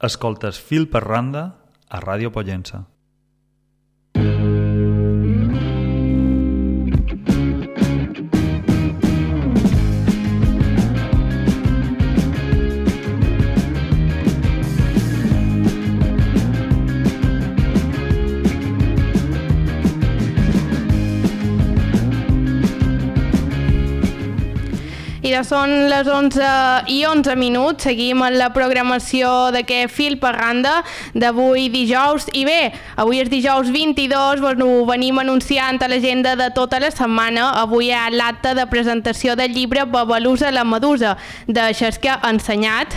escoltes Fil per Randa a Ràdio Pollença. I ja són les 11:11, seguim en la programació d'aquest Fil per Randa d'avui dijous. I bé, avui és dijous 22, ho venim anunciant a l'agenda de tota la setmana. Avui hi ha l'acte de presentació del llibre Babalusa la Medusa, de Xesca Ensenyat.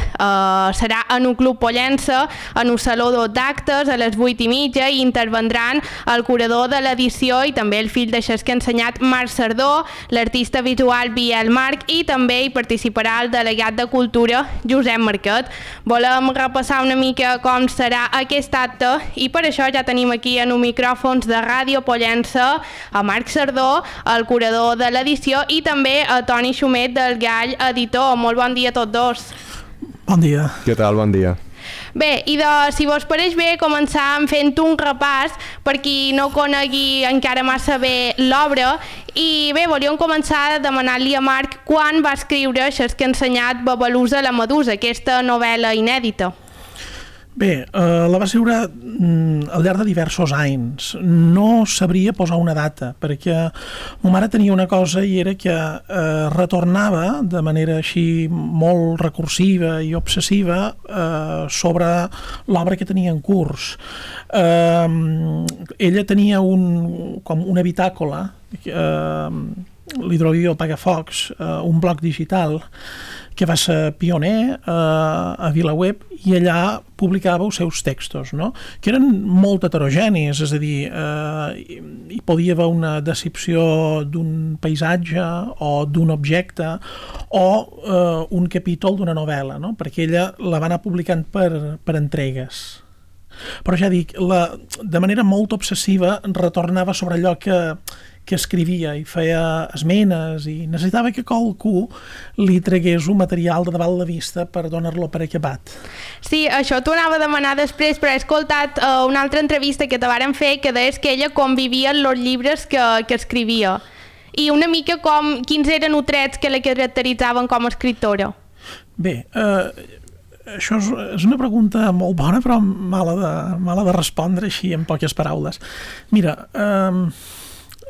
Serà en un club Pollença, en un saló d'actes a les 8:30, i intervendran el curador de l'edició i també el fill de Xesca Ensenyat, Marc Sardó, l'artista visual Biel Marc, i també hi participarà el delegat de Cultura, Josep Marquet. Volem repassar una mica com serà aquest acte i per això ja tenim aquí en un micròfons de Ràdio Pollença a Marc Sardó, el curador de l'edició, i també a Toni Xumet del Gall Editor. Molt bon dia a tots dos. Bon dia. Què tal? Bon dia. Bé, i si vos pareix bé, començàvem fent un repàs per qui no conegui encara massa bé l'obra. I bé, volíem començar demanant-li a Marc quan va escriure Xesca Ensenyat Babalusa la Medusa, aquesta novel·la inèdita. Bé, la va escriure al llarg de diversos anys. No sabria posar una data, perquè ma mare tenia una cosa i era que retornava de manera així molt recursiva i obsessiva sobre l'obra que tenia en curs. Ella tenia com una bitàcola, l'Hidroavió Pagafocs, un blog digital que va ser pioner a VilaWeb, i allà publicava els seus textos, no? Que eren molt heterogenis, és a dir, hi podia haver una descripció d'un paisatge o d'un objecte o un capítol d'una novel·la, no? Perquè ella la va anar publicant per entregues. Però ja dic, de manera molt obsessiva retornava sobre allò que escrivia i feia esmenes, i necessitava que qualcú li tragués un material de davant la vista per donar-lo per acabat. Sí, això t'ho anava a demanar després, però he escoltat una altra entrevista que te varen fer que deies que ella convivia en els llibres que escrivia. I una mica quins eren els trets que la caracteritzaven com a escriptora? Bé, això és una pregunta molt bona, però mala de respondre així en poques paraules. Mira,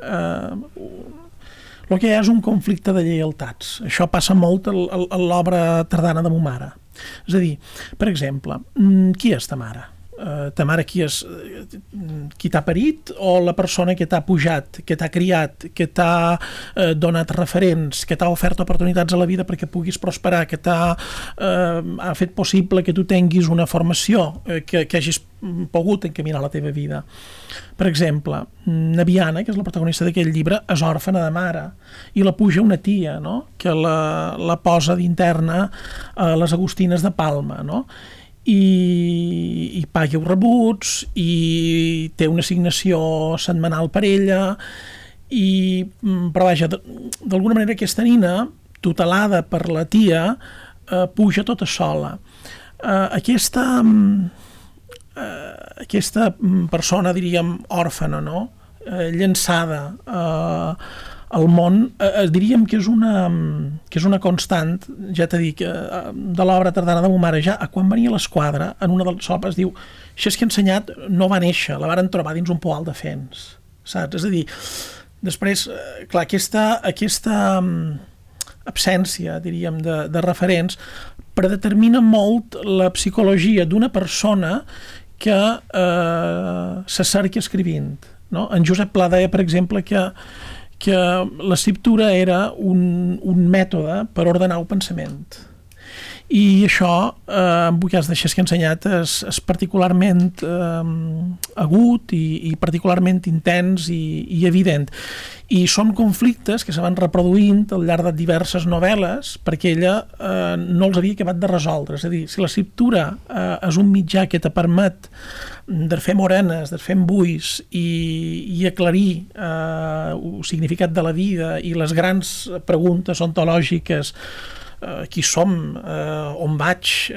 el que hi ha és un conflicte de lleialtats. Això passa molt a l'obra tardana de ma mare. És a dir, per exemple, qui és ta mare? Ta mare qui és? Qui t'ha parit o la persona que t'ha pujat, que t'ha criat, que t'ha donat referents, que t'ha ofert oportunitats a la vida perquè puguis prosperar, que ha fet possible que tu tinguis una formació, que hagis pogut encaminar la teva vida? Per exemple, Nabiana, que és la protagonista d'aquell llibre, és òrfana de mare i la puja una tia, no? Que la posa d'interna a les Agustines de Palma, no? I paga els rebuts i té una assignació setmanal per ella, però vaja, d'alguna manera aquesta nina, tutelada per la tia, puja tota sola. Aquesta persona, diríem, òrfana, no? Llançada al món, diríem que és una constant, ja t'he dit, de l'obra tardana de ma mare. Ja quan venia a l'Esquadra, en una de les obres diu Xesca Ensenyat no va néixer, la varen trobar dins un poal de fens, saps? És a dir, després, clar, aquesta absència, diríem, de referents predetermina molt la psicologia d'una persona que s'acerca escrivint, no? En Josep Pla deia, per exemple, que l'escriptura era un mètode per ordenar el pensament. I això, en el cas de Xesca Ensenyat, és particularment agut i particularment intens i evident. I són conflictes que se van reproduint al llarg de diverses novel·les perquè ella no els havia acabat de resoldre. És a dir, si l'escriptura és un mitjà que te permet de fer morenes, de fer embuis i aclarir el significat de la vida i les grans preguntes ontològiques qui som, on vaig,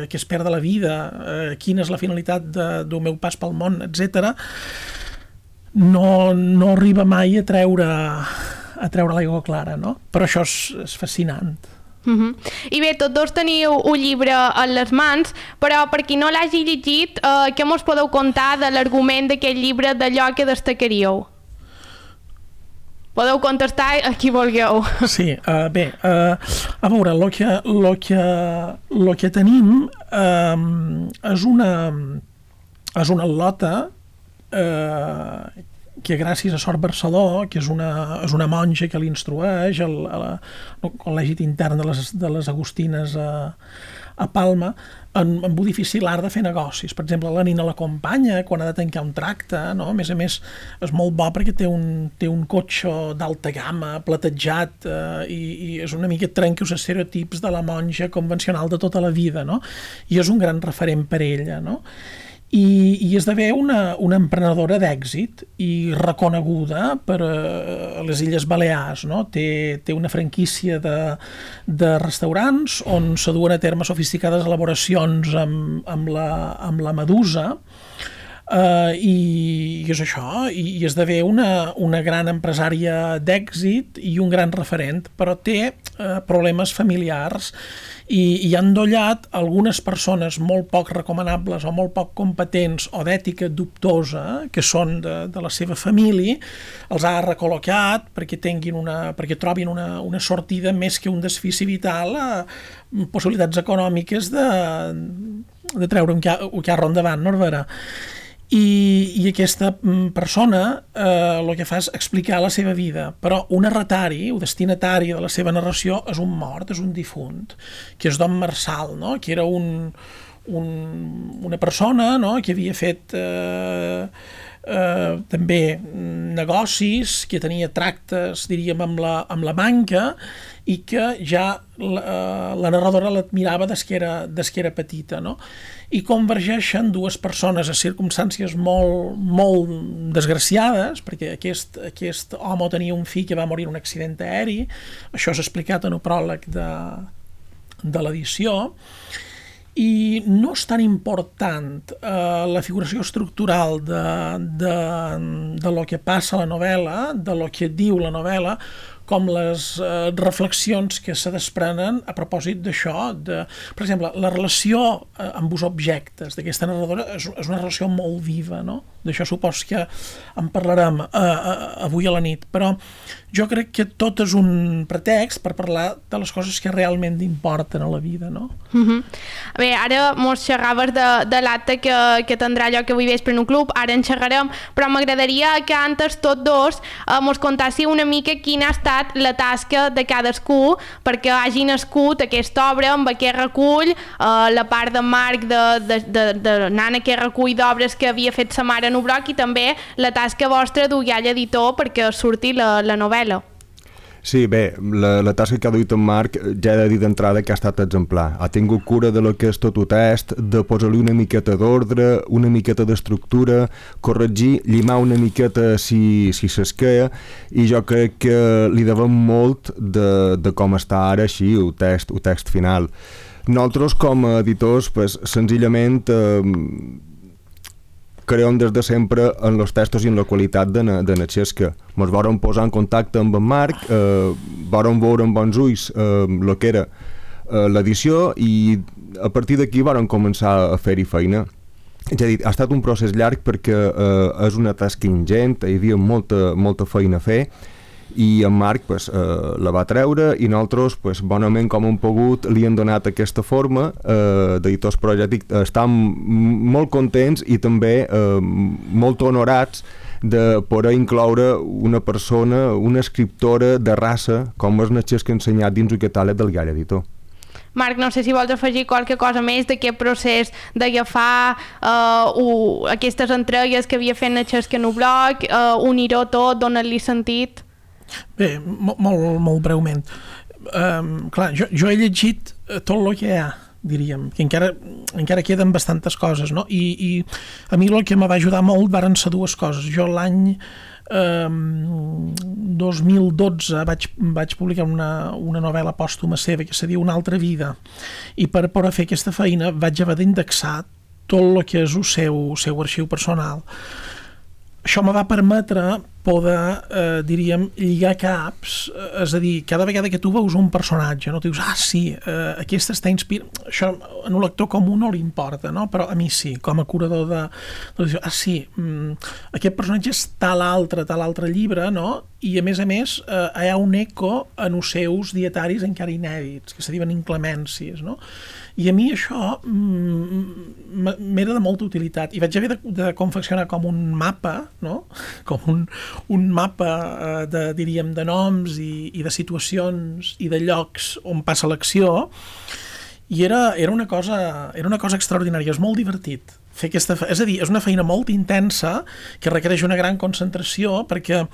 què espera de la vida, quina és la finalitat del meu pas pel món, etc., no arriba mai a treure l'aigua clara, no? Però això és fascinant. I bé, tots dos teniu un llibre a les mans, però per qui no l'hagi llegit, què mos podeu contar de l'argument d'aquest llibre, d'allò que destacaríeu? Podeu contestar a qui vulgueu. Sí, bé, a veure, el que tenim és una al·lota que gràcies a Sor Barceló, que és una monja que l'instrueix al Col·legi Intern de les Agustines a Palma, amb un difícil art de fer negocis. Per exemple, la nina l'acompanya quan ha de tancar un tracte, no? A més, és molt bo perquè té un cotxe d'alta gamma, platejat, i és una mica trenca els estereotips de la monja convencional de tota la vida, no? I és un gran referent per ella, no? I esdevé una emprenedora d'èxit i reconeguda per les Illes Balears, no? Té una franquícia de restaurants on s'aduen a terme sofisticades elaboracions amb la medusa, i és això, i esdevé una gran empresària d'èxit i un gran referent, però té problemes familiars i ha endollat algunes persones molt poc recomanables o molt poc competents o d'ètica dubtosa, que són de la seva família, els ha recol·locat perquè trobin una sortida més que un desfici vital a possibilitats econòmiques de treure un carro endavant, no, Vera? I aquesta persona el que fa és explicar la seva vida, però un narratari, o destinatari de la seva narració és un mort, és un difunt, que és Don Marçal, no? Que era una persona, no? Que havia fet també negocis, que tenia tractes, diríem, amb la banca, i que ja la narradora l'admirava des que era petita, no? I convergeixen dues persones a circumstàncies molt, molt desgraciades, perquè aquest home tenia un fill que va morir en un accident aeri, això és explicat en el pròleg de l'edició, i no és tan important la figuració estructural de lo que passa a la novel·la, de lo que diu la novel·la, com les reflexions que se desprenen a propòsit d'això. Per exemple, la relació amb els objectes d'aquesta narradora és una relació molt viva, no? D'això supos que en parlarem avui a la nit, però jo crec que tot és un pretext per parlar de les coses que realment importen a la vida, no? Bé, ara mos xerraves de l'acte que tindrà lloc avui vespre en un club, ara en xerrarem, però m'agradaria que antes tots dos mos contassi una mica quina ha estat la tasca de cadascú perquè hagi nascut aquesta obra amb aquest recull, la part de Marc d'anar en aquest recull d'obres que havia fet sa mare en Ubroc, i també la tasca vostra d'Ullall Editor perquè surti la novel·la. Sí, bé, la tasca que ha duit en Marc ja he de dir d'entrada que ha estat exemplar. Ha tingut cura de lo que és tot el test, de posar-li una miqueta d'ordre, una miqueta d'estructura, corregir, llimar una miqueta si s'esqueia, i jo crec que li devem molt de com està ara així el text final. Nosaltres, com a editors, pues, senzillament creiem des de sempre en els textos i en la qualitat de la xesca. Ens vàrem posar en contacte amb en Marc, vàrem veure amb bons ulls el que era l'edició, i a partir d'aquí vàrem començar a fer-hi feina. És a dir, ha estat un procés llarg perquè és una tasca ingent, hi havia molta feina a fer, i en Marc pues, la va treure, i nosaltres pues, bonament com hem pogut li hem donat aquesta forma d'editors, però ja dic, estem molt contents i també molt honorats de poder incloure una persona, una escriptora de raça com és Natxes que ha ensenyat dins el catàleg del Ullall Editor. Marc, no sé si vols afegir qualque cosa més d'aquest procés d'agafar aquestes entregues que havia fet Natxes que en Ubroc, unir-ho tot, donar-li sentit. Bé, molt breument. Clar, jo he llegit tot el que hi ha, diríem, que encara queden bastantes coses, no? I a mi el que me va ajudar molt varen ser dues coses. Jo l'any 2012 vaig publicar una novel·la pòstuma seva que se diu Una altra vida, i per poder fer aquesta feina vaig haver d'indexar tot el que és el seu arxiu personal. Això me va permetre poder, diríem, lligar caps, és a dir, cada vegada que tu veus un personatge, no? Tu dius, sí, aquest està inspirat... Això a un lector comú no li importa, no? Però a mi sí, com a curador sí, aquest personatge és tal altre llibre, no? I a més, hi ha un eco en els seus dietaris encara inèdits, que se diuen inclemències, no? I a mi això m'era de molta utilitat, i vaig haver de confeccionar com un mapa, no? Com un mapa diríem, de noms i de situacions i de llocs on passa l'acció, i era una cosa extraordinària, és molt divertit fer aquesta és a dir, és una feina molt intensa que requereix una gran concentració, perquè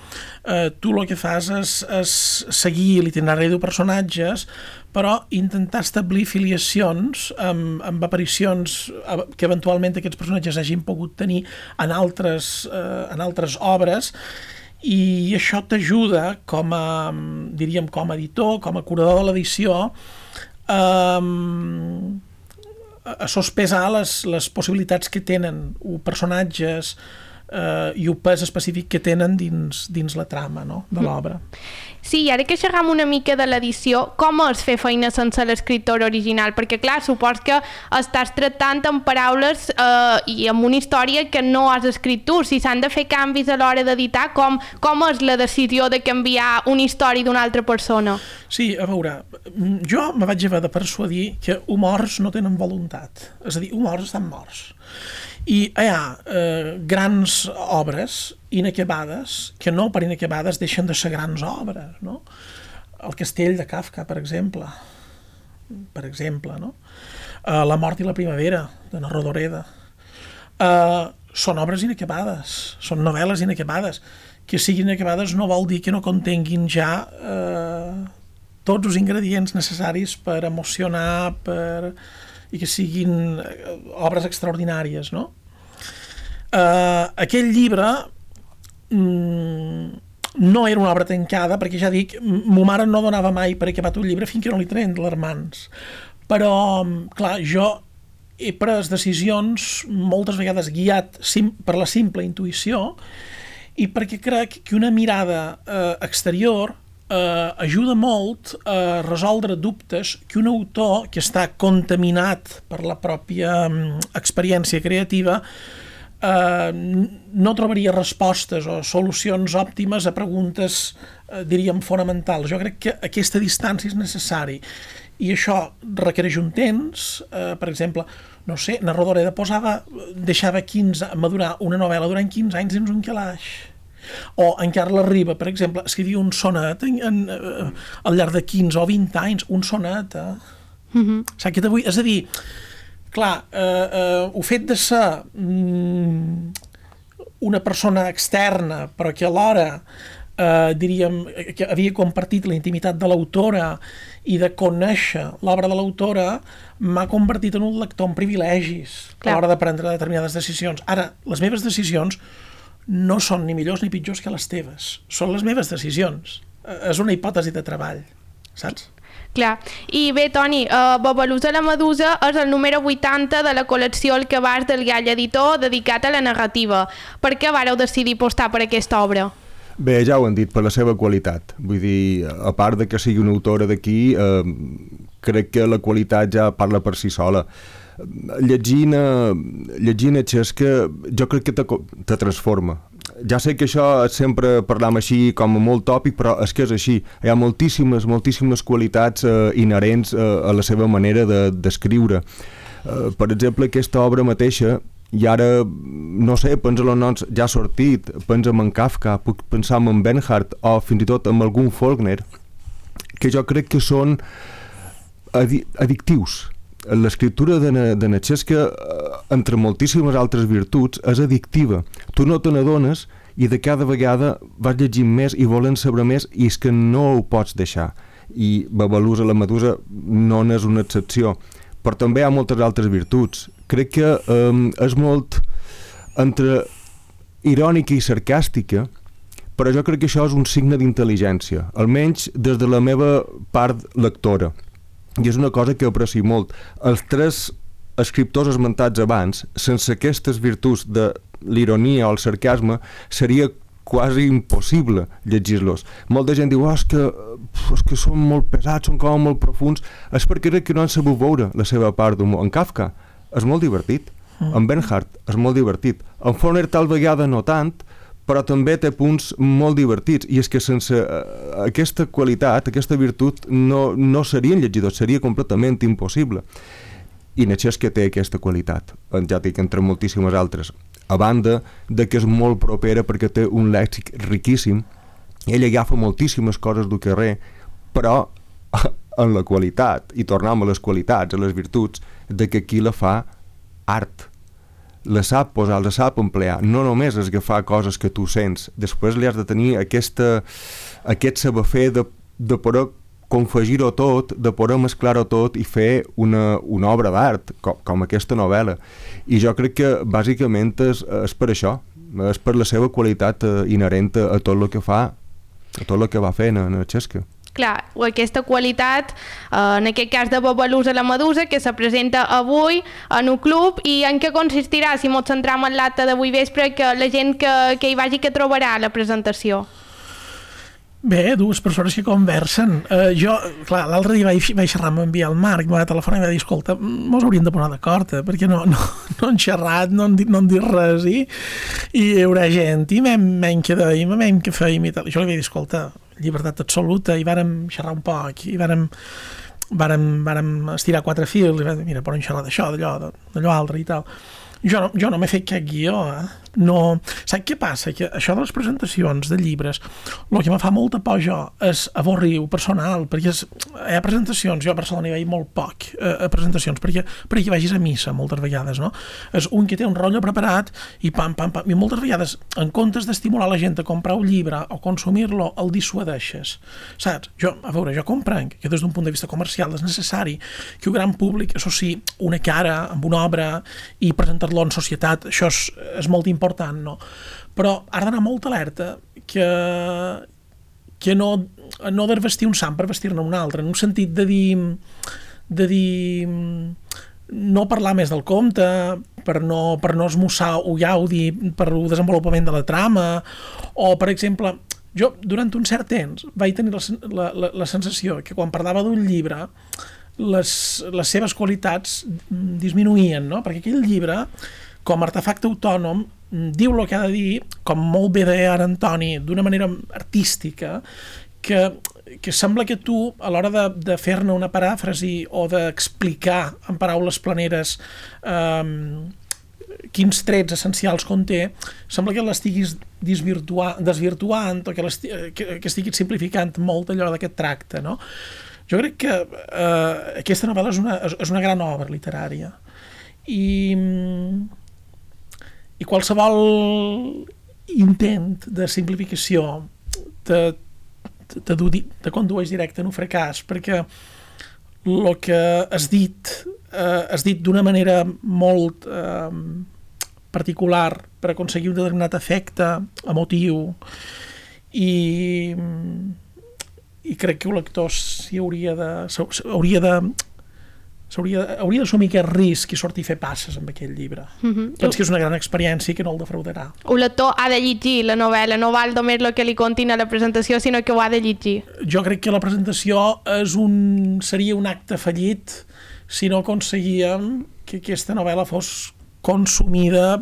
tu el que fas és seguir l'itinerari de personatges, però intentar establir filiacions amb aparicions que eventualment aquests personatges hagin pogut tenir en altres obres, i això t'ajuda com a editor, com a curador de l'edició, a sospesar les possibilitats que tenen els personatges i el pes específic que tenen dins la trama, no?, de l'obra. Sí, i ara que xerram una mica de l'edició, com és fer feina sense l'escriptor original? Perquè, clar, supos que estàs tractant amb paraules i amb una història que no has escrit tu. Si s'han de fer canvis a l'hora d'editar, com és la decisió de canviar una història d'una altra persona? Sí, a veure, jo me vaig haver de persuadir que els morts no tenen voluntat. És a dir, els morts estan morts. I hi ha grans obres inacabades que no per inacabades deixen de ser grans obres, no? El Castell de Kafka, per exemple, no? La mort i la primavera, de na Rodoreda. Són obres inacabades, són novel·les inacabades. Que siguin inacabades no vol dir que no contenguin ja tots els ingredients necessaris per emocionar, i que siguin obres extraordinàries, no? Aquell llibre no era una obra tancada, perquè ja dic, ma mare no donava mai per acabat un llibre fins que no li treien de les mans. Però, clar, jo he pres decisions moltes vegades guiat per la simple intuïció, i perquè crec que una mirada exterior ajuda molt a resoldre dubtes que un autor que està contaminat per la pròpia experiència creativa no trobaria respostes o solucions òptimes a preguntes, diríem, fonamentals. Jo crec que aquesta distància és necessari, i això requereix un temps. Per exemple, no sé, na Rodoreda deixava madurar una novel·la durant 15 anys dins un calaix. O en Carles Riba, per exemple, escrivia un sonet al llarg de 15 o 20 anys, un sonet. És a dir, clar, el fet de ser una persona externa, però que alhora diríem que havia compartit la intimitat de l'autora i de conèixer l'obra de l'autora, m'ha convertit en un lector amb privilegis a l'hora de prendre determinades decisions. Ara, les meves decisions no són ni millors ni pitjors que les teves. Són les meves decisions. És una hipòtesi de treball, saps? Clar. I bé, Toni, Babalusa la Medusa és el número 80 de la col·lecció El Cabàs del Gall Editor, dedicat a la narrativa. Per què vareu decidir apostar per aquesta obra? Bé, ja ho han dit, per la seva qualitat. Vull dir, a part de que sigui una autora d'aquí, crec que la qualitat ja parla per si sola. Llegint Xesca, jo crec que te transforma. Ja sé que això sempre parlam així com molt tòpic, però és que és així. Hi ha moltíssimes qualitats inherents a la seva manera d'escriure. Per exemple, aquesta obra mateixa, i ara, no sé, pensa en els noms ja ha sortit, pensa en Kafka, puc pensar en Bernhardt o fins i tot en algun Faulkner, que jo crec que són addictius. L'escriptura de na Xesca, entre moltíssimes altres virtuts, és addictiva. Tu no te n'adones i de cada vegada vas llegint més i volent saber més, i és que no ho pots deixar. I Babalusa la Medusa no n'és una excepció. Però també hi ha moltes altres virtuts. Crec que és molt entre irònica i sarcàstica, però jo crec que això és un signe d'intel·ligència, almenys des de la meva part lectora, i és una cosa que aprecio molt. Els 3 escriptors esmentats abans, sense aquestes virtuts de l'ironia o el sarcasme, seria quasi impossible llegir-los. Molta gent diu, és que són molt pesats, són com molt profuns. És perquè crec que no han sabut veure la seva part d'humor. En Kafka és molt divertit, en Bernhardt és molt divertit, en Faulkner tal vegada no tant, però també té punts molt divertits, i és que sense aquesta qualitat, aquesta virtut, no serien llegidors, seria completament impossible. I Netxesca té aquesta qualitat, ja dic, entre moltíssimes altres, a banda de que és molt propera perquè té un lèxic riquíssim. Ell agafa moltíssimes coses del carrer, però en la qualitat, i tornem a les qualitats, a les virtuts, de que qui la fa art, la sap posar, la sap emplear, no només és agafar coses que tu sents, després li has de tenir aquest saber fer de poder confegir-ho tot, de poder mesclar-ho tot i fer una obra d'art, com aquesta novel·la. I jo crec que bàsicament és per això, és per la seva qualitat inherent a tot el que fa, a tot el que va fent en Netxesca. Clar, aquesta qualitat, en aquest cas de Babalusa la Medusa, que se presenta avui en un club, i en què consistirà, si ens centram en l'acte d'avui vespre, que la gent que hi vagi que trobarà la presentació? Bé, 2 persones que conversen. Jo, clar, l'altre dia vaig xerrar amb el Marc, em va telefonar i va dir, escolta, mos hauríem de posar d'acord, perquè no han xerrat, no han dit res, i hi haurà gent, i menys que dèiem, menys que fèiem i tal. Jo li vaig dir, escolta, llibertat absoluta, i vàrem xerrar un poc, i vàrem estirar 4 fils, i vam dir, mira, podem xerrar d'això, d'allò altre i tal. Jo no m'he fet cap guió, no. Saps què passa? Que això de les presentacions de llibres, el que me fa molta por jo és avorrir-ho personal, perquè hi ha presentacions, jo a Barcelona hi vaig molt poc a presentacions, perquè vagis a missa moltes vegades, no? És un que té un rotllo preparat i pam, i moltes vegades, en comptes d'estimular la gent a comprar un llibre o consumir-lo, el dissuadeixes, saps? Jo comprenc que des d'un punt de vista comercial és necessari que un gran públic associï una cara amb una obra i presentar-lo en societat, això és molt important, no? Però has d'anar molt alerta que no desvestir un sant per vestir-ne un altre, en un sentit de dir no parlar més del compte, per no esmussar o gaudi per el desenvolupament de la trama, o, per exemple, jo durant un cert temps vaig tenir la sensació que quan parlava d'un llibre les seves qualitats disminuïen, no? Perquè aquell llibre, com a artefacte autònom, diu el que ha de dir, com molt bé deia ara Antoni, d'una manera artística, que sembla que tu, a l'hora de fer-ne una paràfrasi o d'explicar en paraules planeres quins trets essencials conté, sembla que l'estiguis desvirtuant o que estiguis simplificant molt allò d'aquest tracte, no? Jo crec que aquesta novel·la és una gran obra literària i qualsevol intent de simplificació te condueix directe en un fracàs, perquè el que has dit d'una manera molt particular per aconseguir un determinat efecte emotiu i crec que el lector hauria d'assumir aquest risc i sortir a fer passes amb aquell llibre. Penso que és una gran experiència i que no el defraudarà. El lector ha de llegir la novel·la, no val només el que li contin a la presentació, sinó que ho ha de llegir. Jo crec que la presentació seria un acte fallit si no aconseguíem que aquesta novel·la fos consumida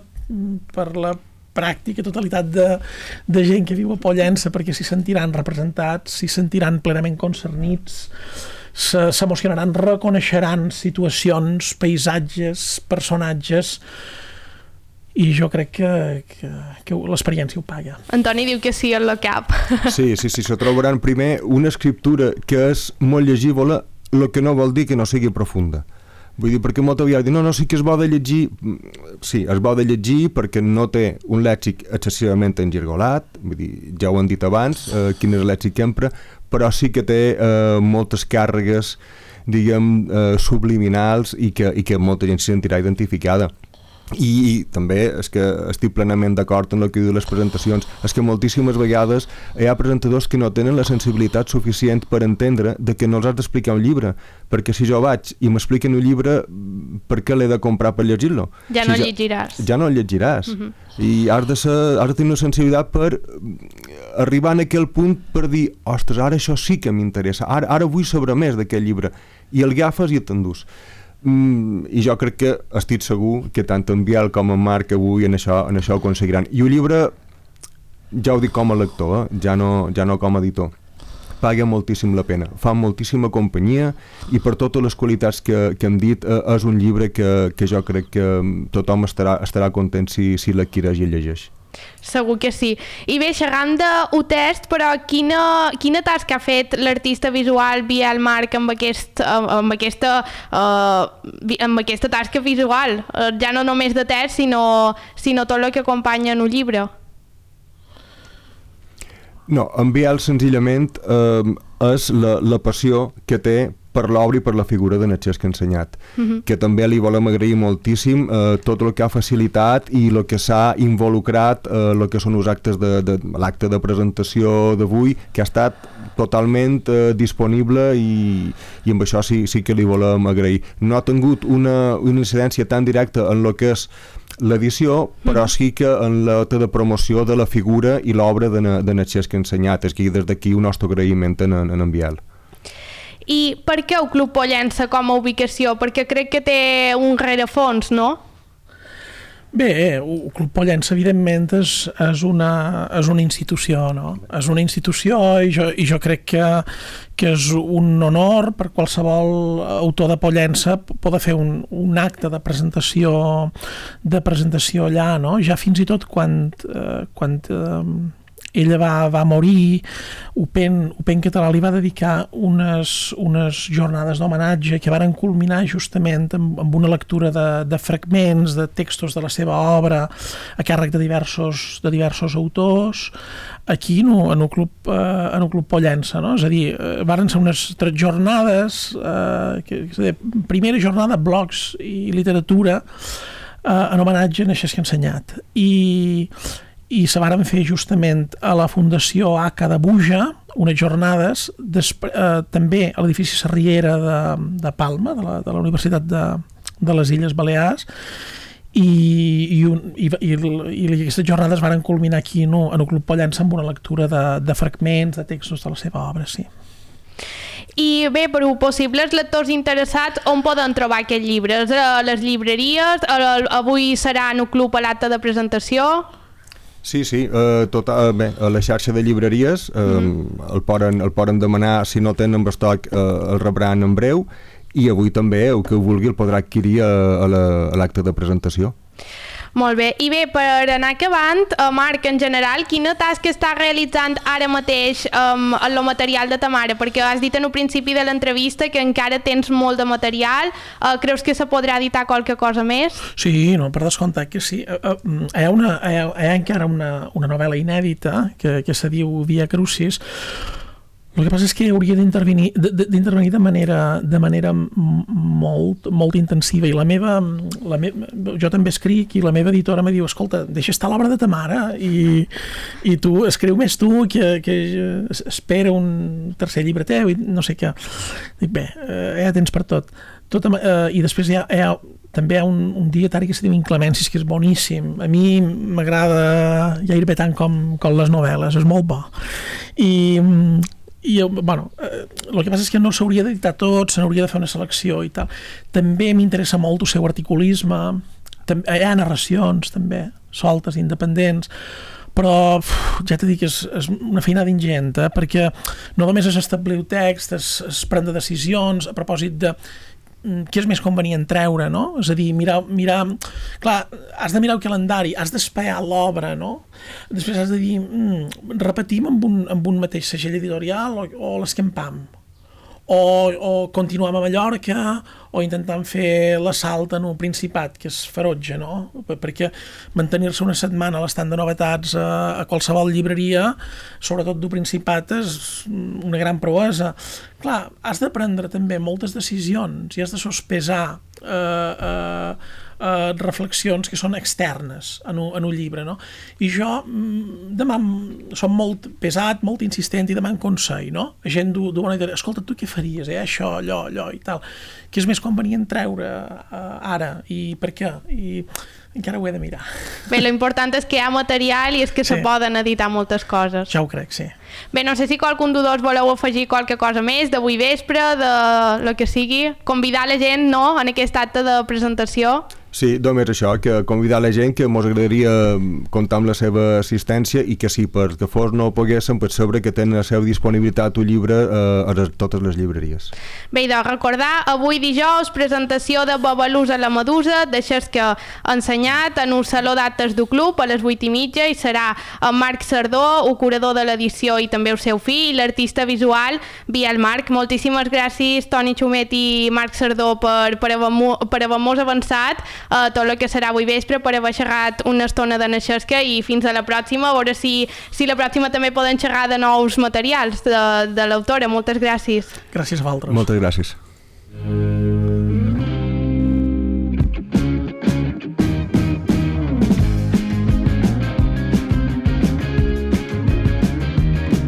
per la pràctica totalitat de gent que viu a Pollença, perquè s'hi sentiran representats, s'hi sentiran plenament concernits, s'emocionaran, reconeixeran situacions, paisatges, personatges, i jo crec que l'experiència ho paga. Antoni diu que sí en la cap. Sí, se trobaran primer una escriptura que és molt llegible, el que no vol dir que no sigui profunda. Vull dir, perquè molta vegada no, sí que és bo de llegir, sí, és bo de llegir perquè no té un lèxic excessivament engergolat, vull dir, ja ho han dit abans, quin és el lèxic que empra, però sí que té moltes càrregues, diguem, subliminals i que molta gent s'hi sentirà identificada. I també és que estic plenament d'acord en el que diu les presentacions, és que moltíssimes vegades hi ha presentadors que no tenen la sensibilitat suficient per entendre de que no els has d'explicar un llibre, perquè si jo vaig i m'expliquen un llibre, per què l'he de comprar per llegir-lo? Ja no el llegiràs. Ja no el llegiràs. I has de tenir una sensibilitat per arribar en aquell punt per dir, ostres, ara això sí que m'interessa, ara vull saber més d'aquest llibre, i el agafes i t'endús. I jo crec que estic segur que tant en Biel com en Marc avui en això ho aconseguiran. I el llibre, ja ho dic com a lector, ja no com a editor, paga moltíssim la pena, fa moltíssima companyia, i per totes les qualitats que hem dit, és un llibre que jo crec que tothom estarà content si l'adquireix i el llegeix. Segur que sí. I bé, xerrant d'Utest, però quina tasca ha fet l'artista visual Biel Marc amb aquesta tasca visual? Ja no només de text, sinó tot el que acompanya en un llibre. No, en Biel senzillament és la passió que té per l'obra i per la figura de Xesc Ensenyat, que també li volem agrair moltíssim tot el que ha facilitat i el que s'ha involucrat el que són els actes l'acte de presentació d'avui, que ha estat totalment disponible, i amb això sí que li volem agrair. No ha tingut una incidència tan directa en el que és l'edició, però sí que en l'acte de promoció de la figura i l'obra de Xesc Ensenyat. És que des d'aquí un nostre agraïment en Biel. I per què el Club Pollença com a ubicació? Perquè crec que té un rerefons, no? Bé, el Club Pollença, evidentment, és una institució, no? És una institució, i jo crec que és un honor per qualsevol autor de Pollença poder fer un acte de presentació allà, no? Ja fins i tot quan ella va morir, UPenn Català li va dedicar unes jornades d'homenatge que varen culminar justament amb una lectura de fragments, de textos de la seva obra a càrrec de diversos autors aquí en el Club Pollença, no? És a dir, varen ser unes 3 jornades, primera jornada blogs i literatura en homenatge a Xesc Ensenyat, i se varen fer justament a la Fundació ACA de Buja unes jornades, també a l'edifici Sarriera de Palma, de la Universitat de les Illes Balears, i aquestes jornades varen culminar aquí en el Club Pollença amb una lectura de fragments, de textos de la seva obra, sí. I bé, per possibles lectors interessats, on poden trobar aquest llibre? A les llibreries? Avui serà en el club a l'acte de presentació? Sí, bé, a la xarxa de llibreries el poden demanar, si no tenen estoc el rebran en breu, i avui també el que vulgui el podrà adquirir a l'acte de presentació. Molt bé, i bé, per anar acabant, Marc, en general, quina tasca està realitzant ara mateix amb el material de ta mare? Perquè has dit en el principi de l'entrevista que encara tens molt de material. Creus que se podrà editar qualque cosa més? Sí, no, per descomptat que sí. Hi ha encara una novel·la inèdita que se diu Via Crucis. El que passa és que hauria d'intervenir de manera molt intensiva, i jo també escric, i la meva editora me diu, escolta, deixa estar l'obra de ta mare i tu escriu més tu, que espera un tercer llibre teu i no sé què. Dic, bé, ja tens per tot. I després també hi ha un dietari que se diu Inclemències, que és boníssim. A mi m'agrada gairebé tant com les novel·les, és molt bo. El que passa és que no s'hauria d'editar tot, se n'hauria de fer una selecció i tal. També m'interessa molt el seu articulisme, hi ha narracions també, soltes, independents, però ja t'he dit que és una feinada ingent, perquè no només és establir el text, és prendre decisions a propòsit de què és més convenient treure, no? És a dir, mirar... Clar, has de mirar el calendari, has d'espear l'obra, no? Després has de dir, repetim amb un mateix segell editorial o l'escampam, o continuem a Mallorca, o intentant fer l'assalt en el Principat, que és ferotge, no? Perquè mantenir-se una setmana a l'estand de novetats a qualsevol llibreria, sobretot del Principat, és una gran proesa. Clar, has de prendre també moltes decisions i has de sospesar reflexions que són externes en un llibre, no? I jo som molt pesat, molt insistent i deman consell, no? La gent diu, escolta, tu què faries, això, allò i tal, que és més convenient treure ara, i per què? I encara ho he de mirar. Bé, lo important és que hi ha material i és que se poden editar moltes coses. Ja ho crec, sí. Bé, no sé si qualcun de dos voleu afegir qualque cosa més d'avui vespre, de lo que sigui, convidar la gent, no?, en aquest acte de presentació. Sí, només això, que convidar la gent que mos agradaria comptar amb la seva assistència i que si per que fos no poguéssim, per saber que tenen a la seva disponibilitat un llibre a totes les llibreries. Bé, doncs recordar, avui dijous, presentació de Babalús a la Medusa, de Xesca ensenyat en un saló d'actes del club a les 8:30 i serà en Marc Sardó, el curador de l'edició i també el seu fill, l'artista visual Biel Marc. Moltíssimes gràcies, Toni Xumet i Marc Sardó, per haver-nos avançat tot el que serà avui vespre, per haver xerrat una estona de Xesca, i fins a la pròxima, a veure si la pròxima també poden xerrar de nous materials de l'autora. Moltes gràcies. Gràcies a vosaltres. Moltes gràcies.